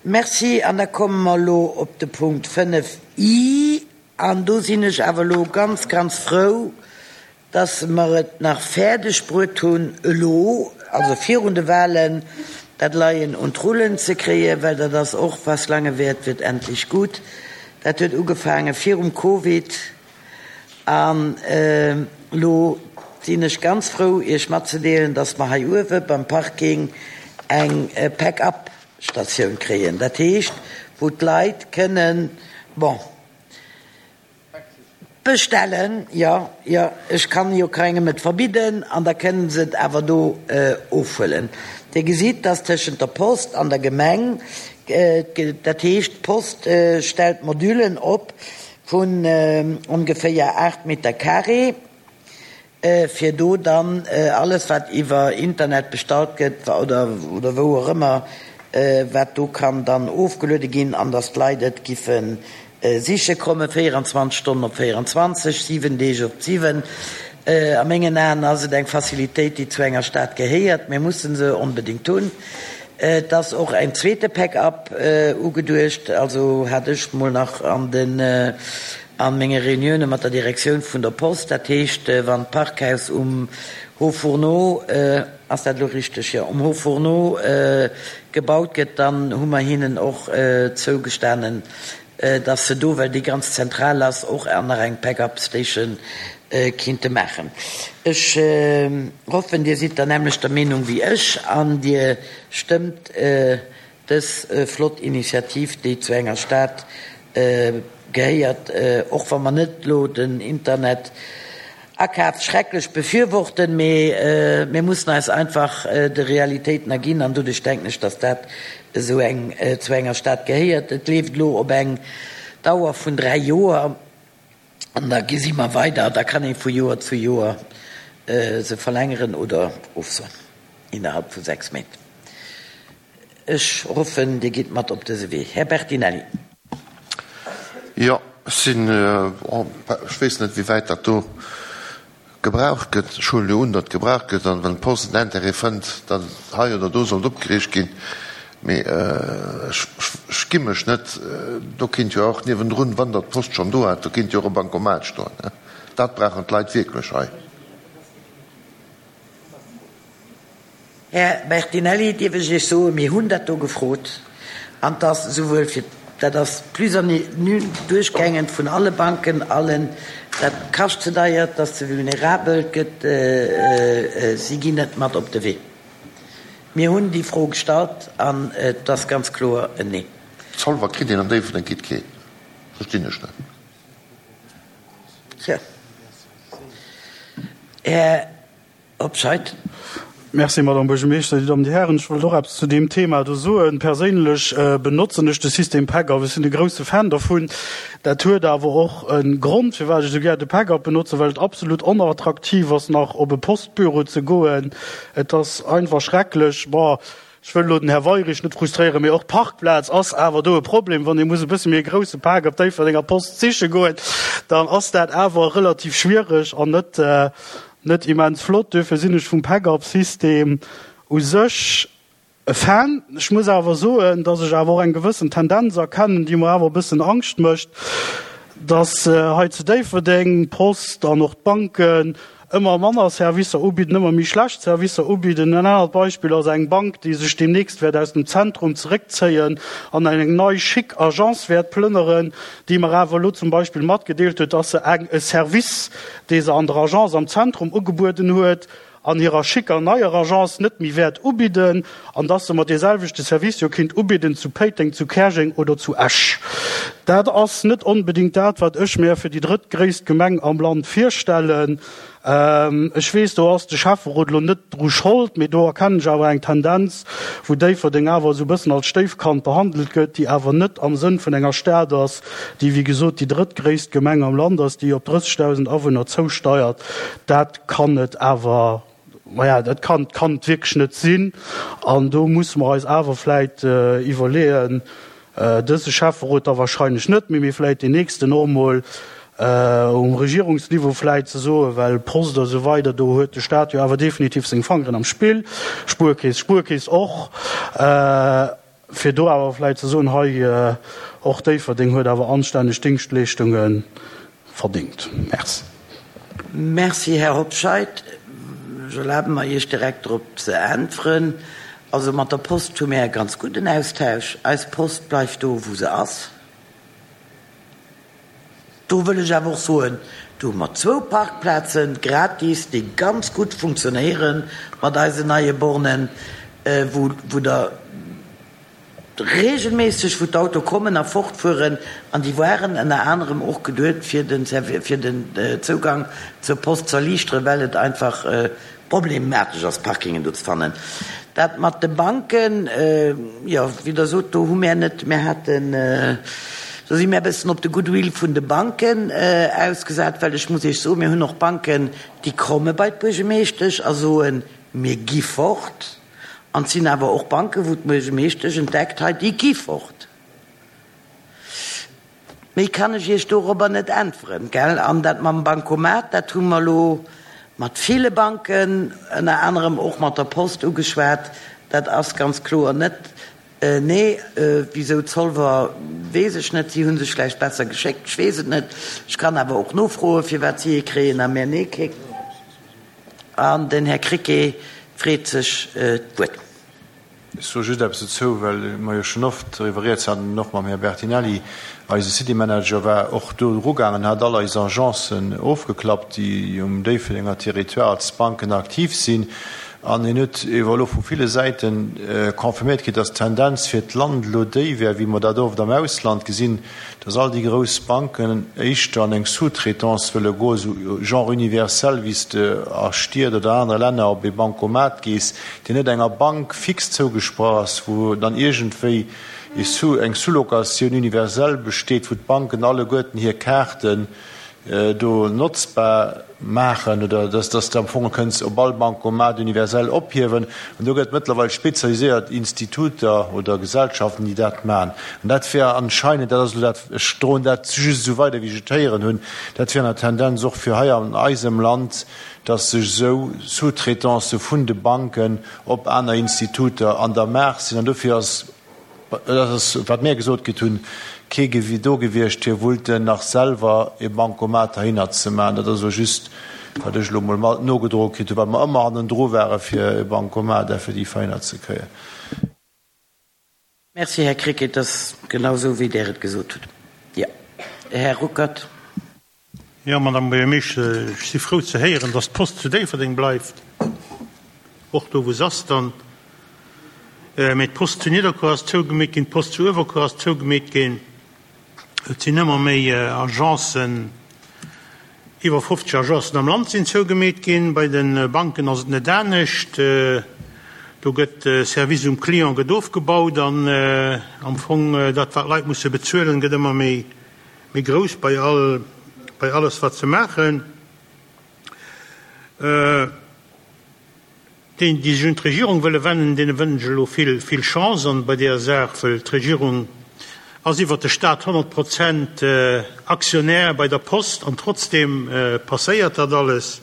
Merci. An da komme mer elo op de Punkt 5 I. An do sinn ech awer elo ganz, ganz frou, dass mer et nach fäerdeg bruet hunn, elo, also virun de Wahlen, dat Leien un d'Rullen ze kréien, well dat ass och, was lange währt, wird endlich gut. Dat huet ugefaange virum Covid. An elo sinn ech ganz frou, Iech matzedeelen, dass mer hei uewe beim Parking eng Pack-up-Statioun kréien. Dat heescht, wou d'Leit kënnen, bon, bestellen, jo, jo, ech kann jo keengem et verbidden, an da kënnen se et awer do ofhuelen. Dir gesitt, dass tëschent der Post an der Gemeng, dat heescht, d'Post stellt Modulen op, Vun ongeféier 8 Meter carré, fir do dann alles wat iwwer Internet bestallt gëtt oder oder wou och ëmmer, wat do kann dann ofgeluede ginn an dass d'Leit et giffe siche kommen, 24 Stonnen op 24, 7 Deeg op 7. A mengen Aen ass et eng Facilitéit, déi zu enger Stad gehéiert. Mir mussen se onbedéngt hunn. Et ass och en zweete Pack-up ugeduecht, also hat ech mol nach an den a menge Reunioune mat der Direktioun vun der Post, dat heescht wann d'Parkhaus um Haut Fourneau, ass dat elo richteg? Jo, um Haut Fourneau gebaut gëtt, dann hu mer hinnen och zougestanen, dass se do, well déi ganz zentral ass, och nach eng Pack-up Station kinnte maachen. Ech hoffen, Dir sidd der nämmlechter Meenung wéi ech an Dir stëmmt dës flott Initiativ, déi zu enger Stad gehéiert, och wa mer net elo den Internet Akaf schrecklech befürworten, mee mir mussen eis einfach de Realitéiten erginn an doduerch denken ech, dass dat esou eng zu enger Stad gehéiert. Et leeft elo op eng Dauer vun 3 Joer an da gesi mer weider. Da kann ee vu Joer zu Joer se verlängeren oder ofsoen innerhalb vu 6 Méint. Ech hoffen, Dir gitt mat op dëse Wee. Här Bertinelli. Jo, ech sinn, ech weess net, wéi wäit dat do gebraucht gëtt. Ech huelen jo un, datt gebraucht gëtt an wann d'Post en Intérêt fënnt, datt et hei oder do sollt opgeriicht ginn. Mee ech, ech gi mech net, do kéint jo och niewendrun, wann Der d'Post schonn do hat, do kéint jo och e Bancomat stoen. Dat brauchen d'Leit wierklech hei. Här Bertinelli, dierf ech Iech soen, mir hunn dat do gefrot an 't ass esouwuel fir, dat ass plus an nul duerchgängend vun alle Banken, allen, dat kascht ze deier, 't ass ze vulnerabel, 't gëtt, si ginn net mat op de Wee. Mir hunn déi Fro gestallt an et ass ganz kloer en Nee. Zolwer kritt een an Déifferdeng kritt keen. Verstinn ech net. Tja. Här. Hobscheit. Merci, Madame Buergermeeschter. Dir Dammen, Dir Hären, ech wollt och eppes zu deem Thema do soen. Perséinlech benotzen ech de System PACUP. Ech sinn e grouse Fan dervun. Dat huet awer och e Grond, firwat ech esou gär de PACUP benotzen, well et absolut onattraktiv ass, nach op e Postbüro ze goen. Et ass einfach schrecklech. Bon, ech wëll elo den Här Weirich net frustréieren, mee och d'Parkplaz ass awer do e Problem. Wann ee muss e bësse méi e grouse Pak op Déifferdenger Post siche goen, dann ass dat awer relativ schwiereg an net, Net immens flott, duerfir sinn ech vum Pack-up-System u sech e Fan. Ech muss awer soen, dass ech awer och eng gewëssen Tendenz erkennen, déi mer awer e bëssen Angscht mécht, dass hei zu Déifferdeng d'Post an och d'Banken ëmmer manner Servicer ubidden, ëmmer méi schlecht Servicer ubidden. En anert Beispill ass eng Bank, déi sech deemnächst wäert aus dem Zentrum zeréckzéien an an eng nei chic Agence wäert plënneren, déi mer awer elo zum Beispill matgedeelt huet, dass se eng e Service dee se an der Agence am Zentrum ugebueden huet, an hirer schicker neier Agence net méi wäert ubidden, an dass se mer dee selwechte Service jo kinnt ubidden zu Péiteng, zu Käerjeng oder zu Esch. Dat ass net onbedéngt dat, wat ech mär fir déi drëttgréisst Gemeng am Land virstellen. Ech weess, do ass de Schäfferot elo net dru Schold, mee do erkennen ech awer eng Tendenz, wou Déifferdeng awer esou e bëssen als Stéifkand behandelt gëtt, déi awer net am Sënn vun enger Stad ass, déi wéi gesot déi drëttgréisst Gemeng am Land ass, déi op 30.000 Awunner zousteiert. Dat kann et awer, maja, dat kann, kann et wierklech net sinn. An do musse mer eis awer vläit iwwerleeën, Dëse Schäfferot da wahrscheinlech net méi, mee vläit deen nächsten och emol um Regierungsniveau vläit ze soen, well Post a sou weider, do huet de Staat jo awer definitiv seng Fangeren am Spill, Spuerkeess, Spuerkeess och. Fir do awer vläicht ze soen, hei, och Déifferdeng huet awer anstänneg Dingschtleeschtunge verdingt. Merci. Merci, Här Hobscheit. Ech erlabe mer, Iech direkt drop ze äntweren. Also mat der Post hu mir e ganz gudden Austausch. Eis Post bleift do, wou se ass. Do wëll ech awer och soen, do hu mer zwou Parkplaze gratis, déi ganz gutt funktionéiere mat eisen neie Bornen, wou, wou der regelméisseg, wou d'Auto kommen a fortfueren. An déi waren ënner anerem och geduet, fir den, fir den Zougang zur Post ze erliichteren, well et einfach Problematesch ass, Parkingen do ze fannen. Dat mat de Banken, jo, wéi Der sot, do hu mär net, mär haten, do si mär e bëssen op de Goodwill vun de Banken ausgesat, well ech muss Iech soen, mir hunn och Banken, déi komme bei d'Buergemeeschtesch a soen, mir gi fort. An et sinn awer och Banken, wou d'Buergemeeschtesch entdeckt, hei, déi gi fort. Méi kann ech Iech dorobber net äntweren, gell? An dat mam Bancomat, dat hu mer elo mat ville Banken, ënner anerem och mat der Post ugeschwat. Dat ass ganz kloer net nee. Wisou Zolwer, weess ech net. Si hu sech vläicht besser geschéckt, ech weess et net. Ech kann awer och nofroen, firwat si ee kréien a mär nee kréien. An den Här Krecké freet sech d'Wuert. Ech soe just eppes dozou, well mer jo schonn oft doriwwer rieds haten, och mam Här Bertinelli. Eise City Manager war och do erugaangen, hat all eis Agencen ofgeklappt, déi um Déifferdenger Territoire als Banken aktiv sinn. An hien huet ewer elo vu ville Säite confirméiert kritt, dass d'Tendenz fir d'Land elo déi wär, wéi mer dat oft am Ausland gesinn, dass all déi grouss Banken éischter an eng Sous-traitance wëlle goen, esou genre universel, wéi s de a Stied oder anere Länner op ee Bancomat gees, deen net enger Bank fix zougesprach ass, wou dann iergendwéi ee Sous, eng Sous-locatioun universelle besteet, wou d'Banken alleguerten hir Kaarten do notzbar maachen oder dass dass de am Fong kënns op all Bancomat universell ophiewen. An do gëtt et mëttlerweil spezialiséiert Instituter oder Gesellschaften, déi dat maachen. An dat wär anscheinend, dat ass elo dat, ech droen dat just esou weider, wéi ech et héieren hunn, dat wär an der Tendenz och fir hei an eisem Land, dass sech esou Sous-traitancë vun de Banken op aner Instituter an der Maach sinn. An dofir ass Dat ass, wat mir gesot kritt hunn, kee Gewi do gewiescht, fir wullten nach selwer e Bancomat heihinner ze maachen. Dat ass elo just, wat ech elo emol mat nogedroe kritt hunn, well mer ëmmer hannendru ware fir e Bancomat effektiv heihinner ze kréien. Merci, Här Krecké. Et ass genau esou, wéi Der et gesot hutt. Jo, Här Ruckert. Jo, Madame Buergermeeschter, ech si frou ze héieren, dass d'Post zu Déifferdeng bleift, och do wou se ass dann. Mee d'Post zu Nidderkuer ass zougemeet ginn, d'Post zu Uewerkuer ass zougemeet ginn. Et sinn ëmmer méi Agencen, iwwer 50 Agencen am Land sinn zougemeet ginn. Bei de Banken ass et net anescht. Do gëtt de Service um Client gëtt ofgebaut an am Fong dat wat d'Leit musse bezuelen, gëtt ëmmer méi méi grouss bei all, bei alles wat se maachen. Déi, déi sech un d'Regierung wëlle wennen, deene wënschen ech elo vill, vill Chance an bei deeër Saach, wëll d'Regierung ass iwwert de Stat 100 Prozent Aktionär bei der Post an trotzdem passéiert dat alles.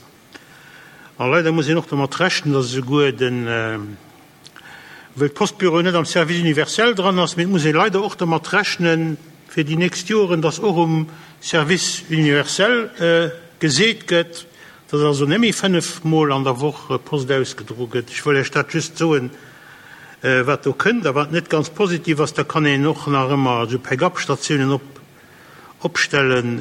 A leider muss een och domat rechnen, datt esouguer den, wëll d'Postbüro net am Service universel dran ass, mee et muss ee leider och domat rechnen fir déi nächst Joren, datt och um Service universel geseet gëtt, datt also net méi 5 Mol an der Woch Post ausgedro gëtt. Ech wëll Iech dat just soen, wat do kënnt a wat net ganz positiv ass. Da kann een och nach ëmmer esou Pick-up-Statiounen op. Opstellen,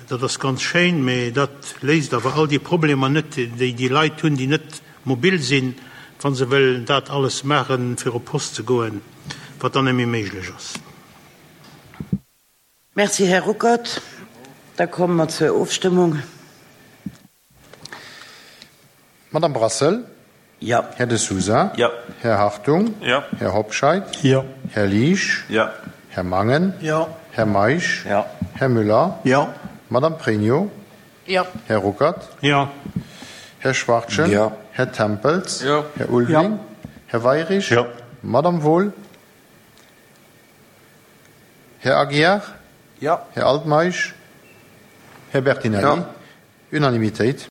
dat ass ganz schéin, mä dat léist awer all déi Problemer net, déi déi Leit hunn, déi net mobil sinn, wa se wëllen dat alles maachen, fir op d'Post ze goen, wat dann net méi méiglech ass. Merci, Här Ruckert. Da komme mer zur Ofstëmmung. Madame Brassel? Jo. Här De Sousa? Jo. Här Hartung? Jo. Här Hobscheit? Jo. Här Liesch? Jo. Här Mangen? Jo. Här Meisch? Jo. Här Müller? Jo. Madame Pregno? Jo. Här Ruckert? Jo. Här Schwachtgen? Jo. Här Tempels? Jo. Här Ulveling? Jo. Här Weirich? Jo. Madame Wohl? Här Aguiar? Jo. Här Altmeisch? Här Bertinelli? Jo. Unanimitéit.